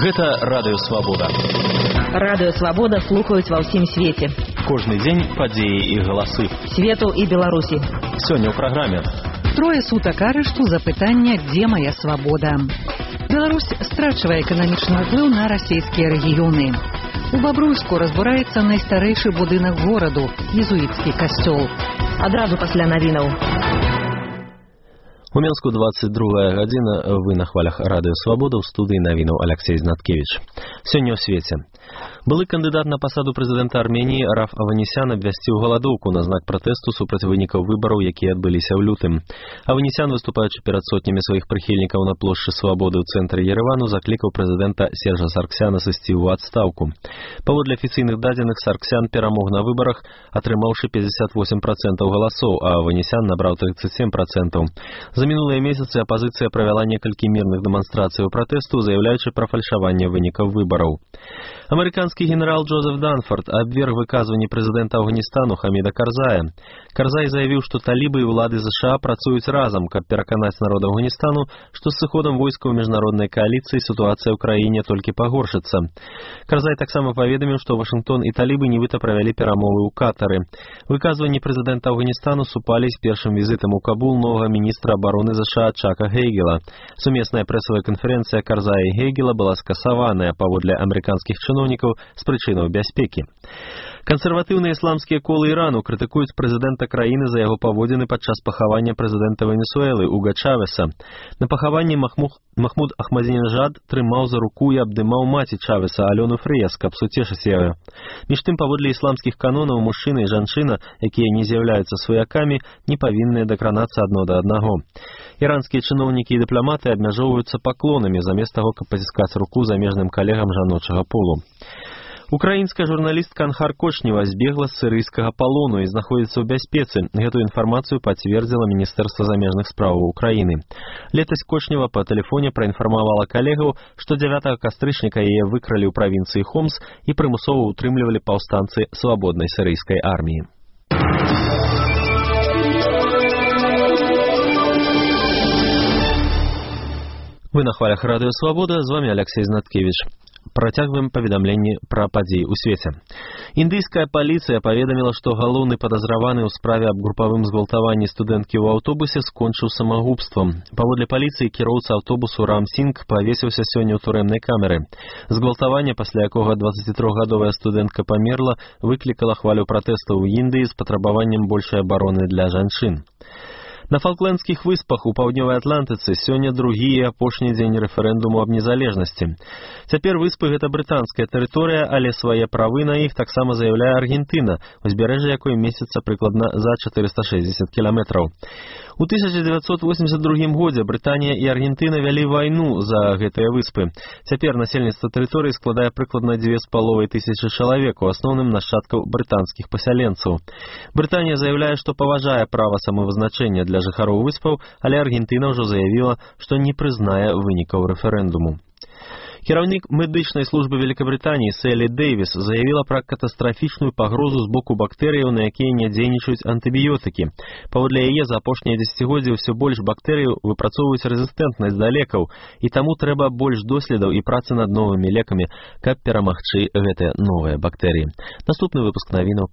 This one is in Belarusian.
Гэта Радыё Свабода. Радыё Свабода слухаюць ва ўсім свеце. Кожны дзень падзеі і галасы. Свету і Беларусі. Сёння ў праграме. Трое сутак арышту за пытанне «Дзе моя свабода?». Беларусь страчвае эканамічны ўплыў на расійскія рэгіёны. У Бабруйску разбураецца найстарэйшы будынак гораду – езуіцкі касцёл. Адразу пасля навінаў. У Менску 22 гадзіна, вы на хвалях Радыё Свабода, ў студыі навінаў Алексей Знаткевич. Сёння ў свеце. Былы кандыдат на пасаду прэзідэнта Арменіі Раф Аванесян абвясціў галадоўку на знак пратэсту супраць вынікаў выбараў, якія адбыліся ў лютым. Аванесян, выступаючы перад сотнямі сваіх прыхільнікаў на плошчы Свабоды ў цэнтры Еревану, заклікаў прэзідэнта Сержа Сарксяна сысці ў адстаўку. Паводле афіцыйных дадзеных, Сарксян перамог на выбарах, атрымаўшы 58% галасоў, а Аванесян набраў 37%. За мінулыя месяцы апазіцыя правяла некалькі мірных дэманстрацыяў пратэсту, заяўляючы пра фальшаванне вынікаў выбараў. Амерыканскі генерал Джозеф Данфорд абверг выказванні прэзідэнта Афганістану Хаміда Карзая. Карзай заявіў, што талібы і ўлады ЗША працуюць разам, каб пераканаць народ Афганістану, што з сыходам войскаў міжнароднай кааліцыі сітуацыя ў краіне толькі пагоршыцца. Карзай таксама паведаміў, што Вашынгтон і талібы нібыта правялі перамовы ў Катары. Выказванні прэзідэнта Афганістану супалі з першым візітам у Кабул новага міністра абароны ЗША Чака Гейгела. Сумесная прэсавая канферэнцыя Карзая і Гейгела была скасаваная паводле амерыканскіх чыноўнікаў з прычынаў бяспекі. Кансерватыўныя ісламскія колы Ірану крытыкуюць прэзідэнта краіны за яго паводзіны падчас пахавання прэзідэнта Венесуэлы Уга Чавеса. На пахаванні Махмуд Ахмадзінежад трымаў за руку і абдымаў маці Чавеса Алёну Фрыяс, каб суцешыць яе. Між тым, паводле ісламскіх канонаў, мужчына і жанчына, якія не з'яўляюцца сваякамі, не павінны дакранацца адно да аднаго. Іранскія чыноўнікі і дыпламаты абмяжоўваюцца паклонамі замест таго, каб паціскаць руку замежным калегам жаночага полу. Украінская журналістка Анхар Кочнева збегла з сірыйскага палону і знаходзіцца ў бяспецы. Гэтую інфармацыю пацвердзіла Міністэрства замежных справаў Украіны. Летась Кочнева па тэлефоне праінфармавала калегаў, што 9 кастрычніка яе выкралі ў правінцыі Хомс і прымусова ўтрымлівалі паўстанцы свабоднай сірыйскай арміі. Вы на хвалях Радыё Свабода, з вами Алексей Знаткевич. Працягваем паведамленні пра падзеі ў свеце. Індыйская паліцыя паведаміла, што галоўны падазраваны ў справе аб групавым згвалтаванні студэнткі ў аўтобусе скончыў самагубствам. Паводле паліцыі, кіроўца аўтобусу Рам Сінг павесіўся сёння ў турэмнай камеры. Згвалтаванне, пасля якога 23-гадовая студэнтка памерла, выклікала хвалю пратэстаў у Індыі з патрабаваннем большай абароны для жанчын. На Фалклендскіх выспах у паўднёвай Атлантыцы сёння другі і апошні дзень рэферэндуму аб незалежнасці. Цяпер выспы гэта брытанская тэрыторыя, але свае правы на іх таксама заяўляе Аргентына, узбярэжжа якой месціцца прыкладна за 460 кіламетраў. У 1982 годзе Брытанія і Аргентына вялі вайну за гэтыя выспы. Цяпер насельніцтва тэрыторыі складае прыкладна 2500 чалавек, у асноўным нашчадкаў брытанскіх пасяленцаў. Брытанія заявляе, што паважае права самавызначэння для жыхароў выспаў, але Аргентына ўжо заявіла, што не прызнае вынікаў рэферэндуму. Кіраўнік медычнай службы Великабрытаніі Селі Дэйвіс заявіла пра катастрафічную пагрозу з боку бактэрыяў, на якія не дзейнічаюць антыбіётыкі. Паводле яе, за апошнія дзесяцігоддзі ўсё больш бактэрыяў выпрацоўваюць рэзістэнтнасць да лекаў, і таму трэба больш доследаў і працы над новымі лекамі, каб перамагчы гэтыя новыя бактэрыі. Наступны выпуск навінаў